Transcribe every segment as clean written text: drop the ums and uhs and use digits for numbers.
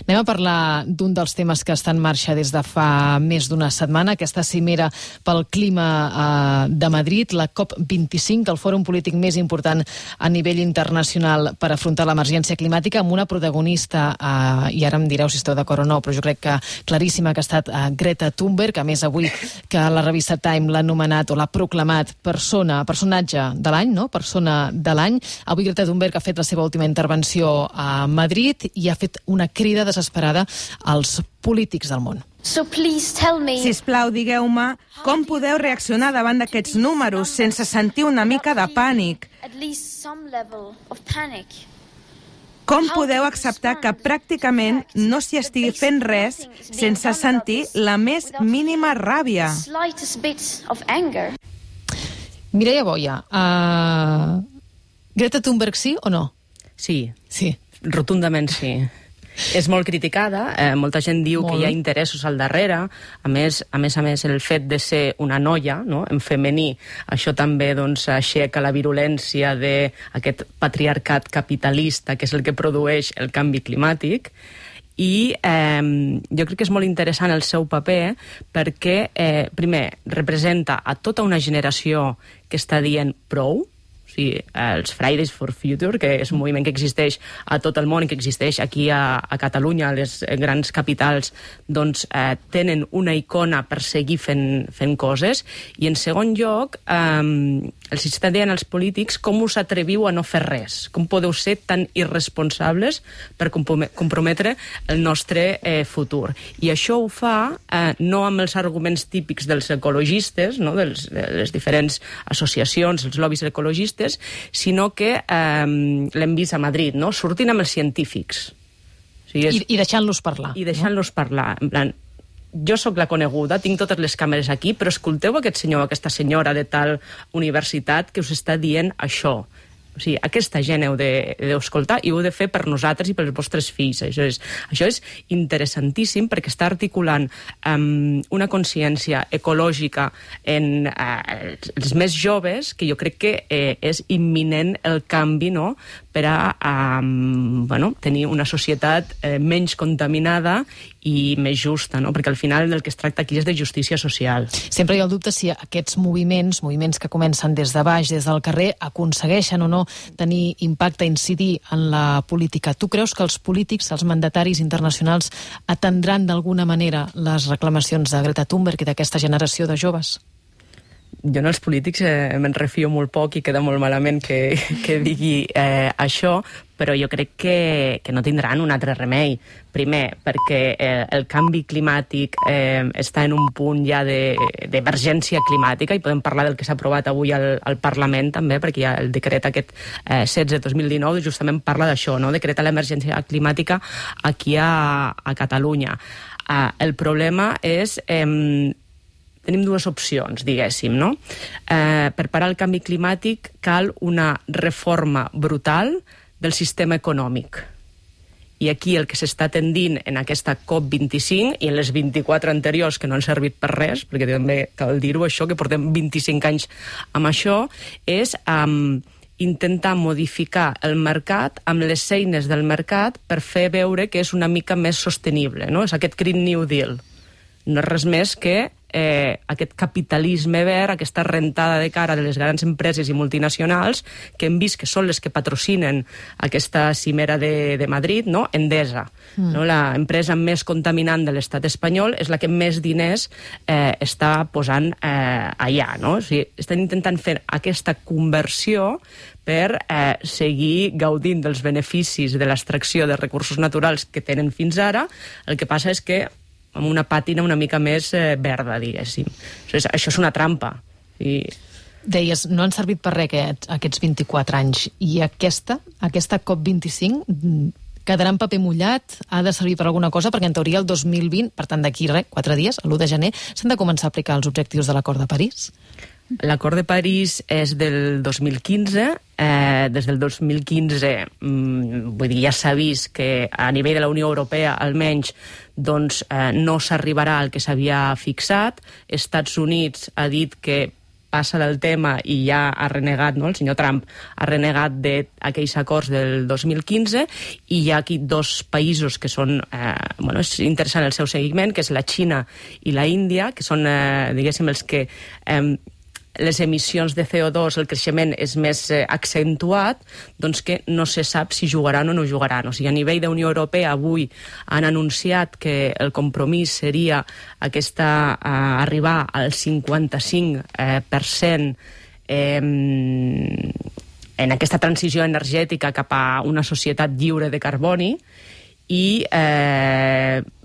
Anem a parlar d'un dels temes que està en marxa des de fa més d'una setmana, aquesta cimera pel clima de Madrid, la COP25, el fòrum polític més important a nivell internacional per afrontar l'emergència climàtica, amb una protagonista, i ara em direu si esteu d'acord o no, però jo crec que claríssima, que ha estat Greta Thunberg, a més avui que la revista Time l'ha anomenat o l'ha proclamat personatge de l'any, no? Persona de l'any. Avui Greta Thunberg ha fet la seva última intervenció a Madrid i ha fet una crida desesperada als polítics del món. Sisplau, digueu-me com podeu reaccionar davant d'aquests números sense sentir una mica de pànic? Com podeu acceptar que pràcticament no s'hi estigui fent res sense sentir la més mínima ràbia? Mireia Boia, Greta Thunberg sí o no? Sí. Sí. Rotundament sí. És molt criticada, molta gent diu que hi ha interessos al darrere, a més, el fet de ser una noia, no?, en femení, això també doncs, aixeca la virulència d'aquest patriarcat capitalista, que és el que produeix el canvi climàtic, i jo crec que és molt interessant el seu paper perquè, primer, representa a tota una generació que està dient prou, els Fridays for Future, que és un moviment que existeix a tot el món i que existeix aquí a Catalunya, a les grans capitals, doncs tenen una icona per seguir fent coses. I en segon lloc, els està dient als polítics com us atreviu a no fer res, com podeu ser tan irresponsables per comprometre el nostre futur. I això ho fa no amb els arguments típics dels ecologistes, no? de les diferents associacions, els lobbies ecologistes, sinó que l'hem vist a Madrid, no? Sortint amb els científics. I deixant-los parlar. I deixant-los parlar. En plan, jo sóc la coneguda, tinc totes les càmeres aquí, però escolteu aquest senyor o aquesta senyora de tal universitat que us està dient això. O sigui, aquesta gent heu d'escoltar i ho heu de fer per nosaltres i pels vostres fills. Això és interessantíssim perquè està articulant una consciència ecològica en els més joves que jo crec que és imminent el canvi, no?, per a tenir una societat menys contaminada i més justa, no? Perquè al final del que es tracta aquí és de justícia social. Sempre hi ha el dubte si aquests moviments que comencen des de baix, des del carrer, aconsegueixen o no tenir impacte, incidir en la política. Tu creus que els polítics, els mandataris internacionals, atendran d'alguna manera les reclamacions de Greta Thunberg i d'aquesta generació de joves? Jo en els polítics me'n refio molt poc i queda molt malament que digui això, però jo crec que no tindran un altre remei. Primer, perquè el canvi climàtic està en un punt ja d'emergència climàtica, i podem parlar del que s'ha aprovat avui al Parlament també, perquè hi ha el decret aquest 16-2019, justament parla d'això, no? Decreta l'emergència climàtica aquí a Catalunya. El problema és... Tenim dues opcions, diguéssim, no? Per parar el canvi climàtic cal una reforma brutal del sistema econòmic. I aquí el que s'està tendint en aquesta COP25 i en les 24 anteriors, que no han servit per res, perquè també cal dir-ho això, que portem 25 anys amb això, és intentar modificar el mercat amb les eines del mercat per fer veure que és una mica més sostenible, no? És aquest Green New Deal. No és res més que aquest capitalisme verd, aquesta rentada de cara de les grans empreses i multinacionals que hem vist que són les que patrocinen aquesta cimera de Madrid, no? Endesa, no? La empresa més contaminant de l'estat espanyol és la que més diners està posant allà, no? O sigui, estan intentant fer aquesta conversió per seguir gaudint dels beneficis de l'extracció de recursos naturals que tenen fins ara. El que passa és que amb una pàtina una mica més verda, diguéssim. Això és una trampa. Deies, no han servit per res aquests 24 anys. I aquesta COP25 quedarà en paper mullat, ha de servir per alguna cosa, perquè en teoria el 2020, per tant d'aquí 4 dies, l'1 de gener, s'han de començar a aplicar els objectius de l'Acord de París? L'acord de París és del 2015. Des del 2015 vull dir, ja s'ha vist que a nivell de la Unió Europea almenys doncs, no s'arribarà al que s'havia fixat. Estats Units ha dit que passa del tema i ja ha renegat, no? El senyor Trump ha renegat d'aquells acords del 2015 i hi ha aquí dos països que són, és interessant el seu seguiment, que és la Xina i la Índia, que són, diguéssim, els que les emissions de CO2, el creixement és més accentuat, doncs que no se sap si jugaran o no jugaran. O sigui, a nivell d'Unió Europea avui han anunciat que el compromís seria arribar al 55% en aquesta transició energètica cap a una societat lliure de carboni, i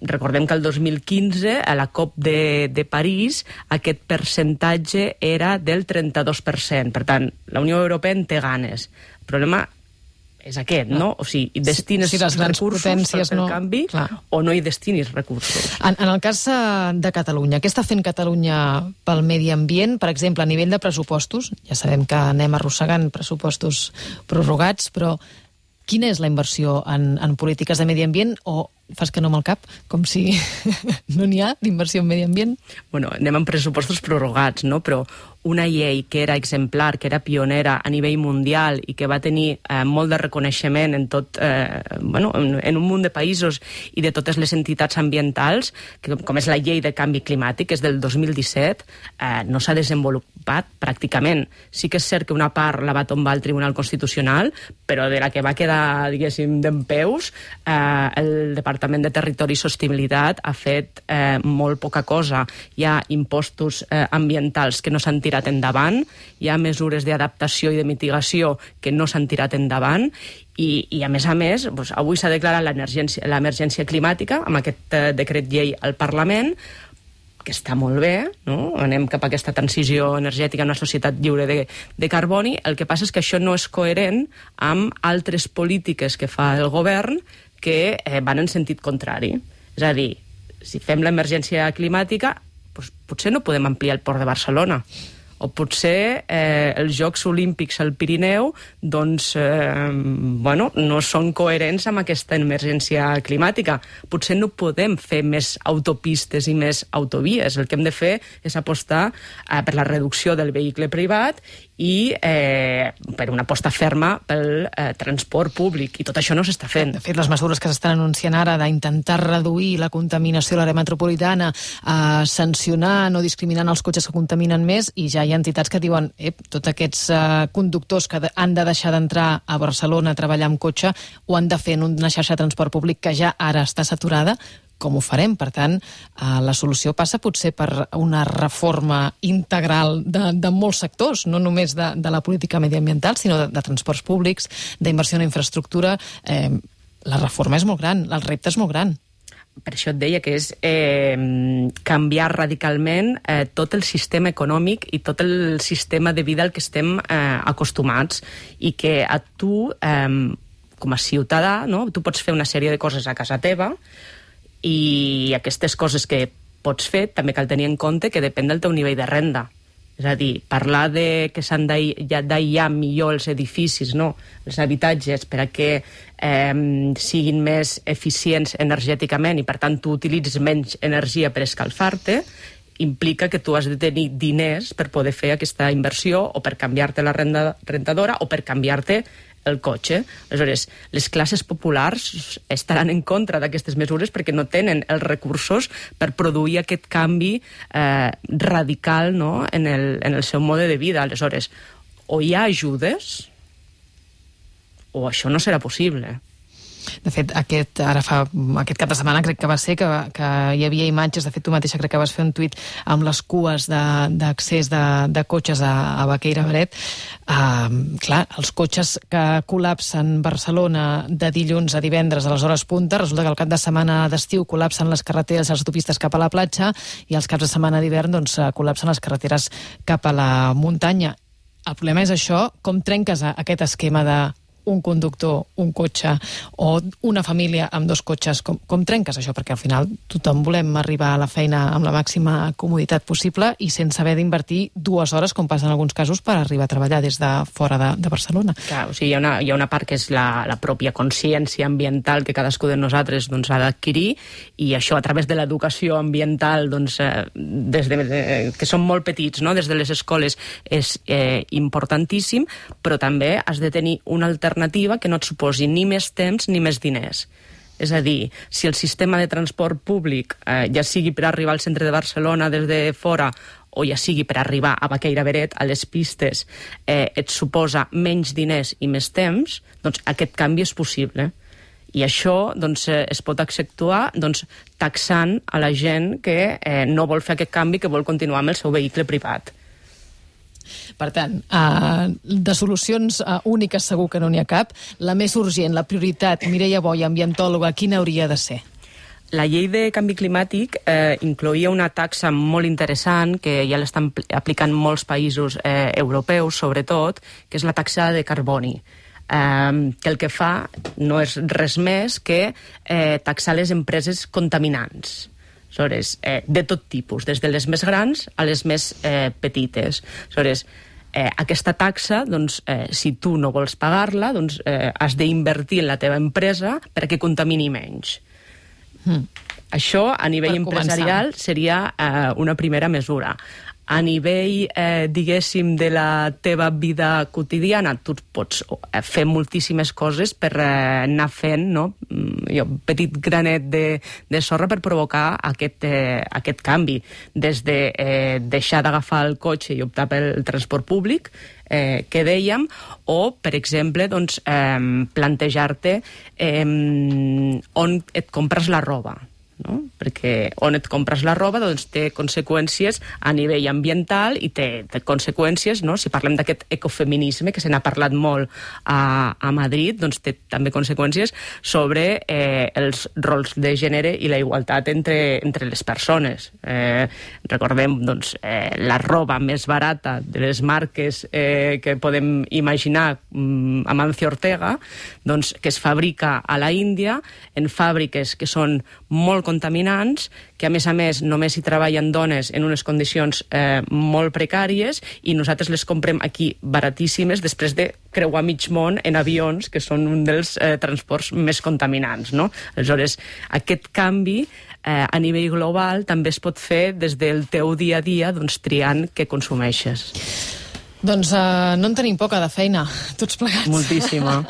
recordem que el 2015 a la COP de París aquest percentatge era del 32%. Per tant, la Unió Europea en té ganes. El problema és aquest, no? O sigui, destines recursos per el canvi o no hi destinis recursos. En el cas de Catalunya, què està fent Catalunya pel medi ambient? Per exemple, a nivell de pressupostos, ja sabem que anem arrossegant pressupostos prorrogats, però quina és la inversió en polítiques de medi ambient? O fas que no amb el cap, com si no n'hi ha d'inversió en medi ambient? Bueno, anem amb pressupostos prorrogats, no? Però una llei que era exemplar, que era pionera a nivell mundial i que va tenir molt de reconeixement en tot, en un munt de països i de totes les entitats ambientals, com és la llei de canvi climàtic, que és del 2017, no s'ha desenvolupat pràcticament. Sí que és cert que una part la va tombar el Tribunal Constitucional, però de la que va quedar, diguéssim, dempeus, el Departament de Territori i Sostenibilitat ha fet molt poca cosa. Hi ha impostos ambientals que no s'han tirat endavant, hi ha mesures d'adaptació i de mitigació que no s'han tirat endavant i a més, doncs, avui s'ha declarat l'emergència climàtica amb aquest decret llei al Parlament, que està molt bé, no? Anem cap a aquesta transició energètica en una societat lliure de carboni. El que passa és que això no és coherent amb altres polítiques que fa el govern que van en sentit contrari. És a dir, si fem l'emergència climàtica, doncs potser no podem ampliar el port de Barcelona, o potser els Jocs Olímpics al Pirineu doncs, no són coherents amb aquesta emergència climàtica. Potser no podem fer més autopistes i més autovies. El que hem de fer és apostar per la reducció del vehicle privat i per una aposta ferma pel transport públic, i tot això no s'està fent. De fet, les mesures que s'estan anunciant ara d'intentar reduir la contaminació a l'àrea metropolitana, sancionar, no discriminant els cotxes que contaminen més, i ja hi ha entitats que diuen tots aquests conductors que han de deixar d'entrar a Barcelona a treballar amb cotxe ho han de fer en una xarxa de transport públic que ja ara està saturada. Com ho farem? Per tant, la solució passa potser per una reforma integral de molts sectors, no només de la política mediambiental, sinó de transports públics, d'inversió en infraestructura. La reforma és molt gran, el repte és molt gran. Per això et deia que és canviar radicalment tot el sistema econòmic i tot el sistema de vida al que estem acostumats, i que a tu, com a ciutadà, no? Tu pots fer una sèrie de coses a casa teva, i aquestes coses que pots fer també cal tenir en compte que depèn del teu nivell de renda. És a dir, parlar de que s'han d'aïllar millor els edificis, no? Els habitatges, per a que siguin més eficients energèticament i, per tant, tu utilitzes menys energia per escalfar-te, implica que tu has de tenir diners per poder fer aquesta inversió, o per canviar-te la rentadora, o per canviar-te el cotxe. Aleshores, les classes populars estaran en contra d'aquestes mesures perquè no tenen els recursos per produir aquest canvi radical, no? en el seu mode de vida. Aleshores, o hi ha ajudes o això no serà possible. De fet, aquest cap de setmana crec que va ser que hi havia imatges, de fet tu mateixa crec que vas fer un tuit amb les cues d'accés de cotxes a Baqueira Beret. Clar, els cotxes que col·lapsen Barcelona de dilluns a divendres a les hores punta, resulta que el cap de setmana d'estiu col·lapsen les carreteres i les autopistes cap a la platja, i els caps de setmana d'hivern doncs col·lapsen les carreteres cap a la muntanya. El problema és això, com trenques aquest esquema de un conductor, un cotxe, o una família amb 2 cotxes. Com trenques això? Perquè al final tothom volem arribar a la feina amb la màxima comoditat possible i sense haver d'invertir 2 hores, com passa en alguns casos, per arribar a treballar des de fora de Barcelona. Clar, o sigui, hi ha una part que és la pròpia consciència ambiental que cadascú de nosaltres ha d'adquirir, i això a través de l'educació ambiental des que som molt petits, no? Des de les escoles és importantíssim, però també has de tenir una alternativa que no et suposi ni més temps ni més diners. És a dir, si el sistema de transport públic, ja sigui per arribar al centre de Barcelona des de fora o ja sigui per arribar a Baqueira-Beret, a les pistes, et suposa menys diners i més temps, doncs aquest canvi és possible. I això es pot accentuar taxant a la gent que no vol fer aquest canvi, que vol continuar amb el seu vehicle privat. Per tant, de solucions úniques segur que no n'hi ha cap. La més urgent, la prioritat, Mireia Boya, ambientòloga, quina hauria de ser? La llei de canvi climàtic incloïa una taxa molt interessant que ja l'estan aplicant molts països europeus, sobretot, que és la taxa de carboni. Que el que fa no és res més que taxar les empreses contaminants. De tot tipus, des de les més grans a les més petites. Aquesta taxa, si tu no vols pagar-la, has d'invertir en la teva empresa perquè contamini menys. Això, a nivell empresarial, seria una primera mesura. A nivell, diguéssim, de la teva vida quotidiana, tu pots fer moltíssimes coses per anar fent, no? Un petit granet de sorra per provocar aquest canvi. Des de deixar d'agafar el cotxe i optar pel transport públic, que dèiem, o, per exemple, plantejar-te on et compres la roba. No? Perquè on et compres la roba té conseqüències a nivell ambiental i té conseqüències, no? Si parlem d'aquest ecofeminisme que se n'ha parlat molt a Madrid, té també conseqüències sobre els rols de gènere i la igualtat entre les persones. Recordem la roba més barata de les marques que podem imaginar, Amancio Ortega, que es fabrica a la Índia en fàbriques que són molt contaminants, que a més només hi treballen dones en unes condicions molt precàries, i nosaltres les comprem aquí baratíssimes després de creuar mig món en avions, que són un dels transports més contaminants, no? Aleshores, aquest canvi a nivell global també es pot fer des del teu dia a dia, triant què consumeixes. Doncs no en tenim poca de feina, tots plegats. Moltíssima.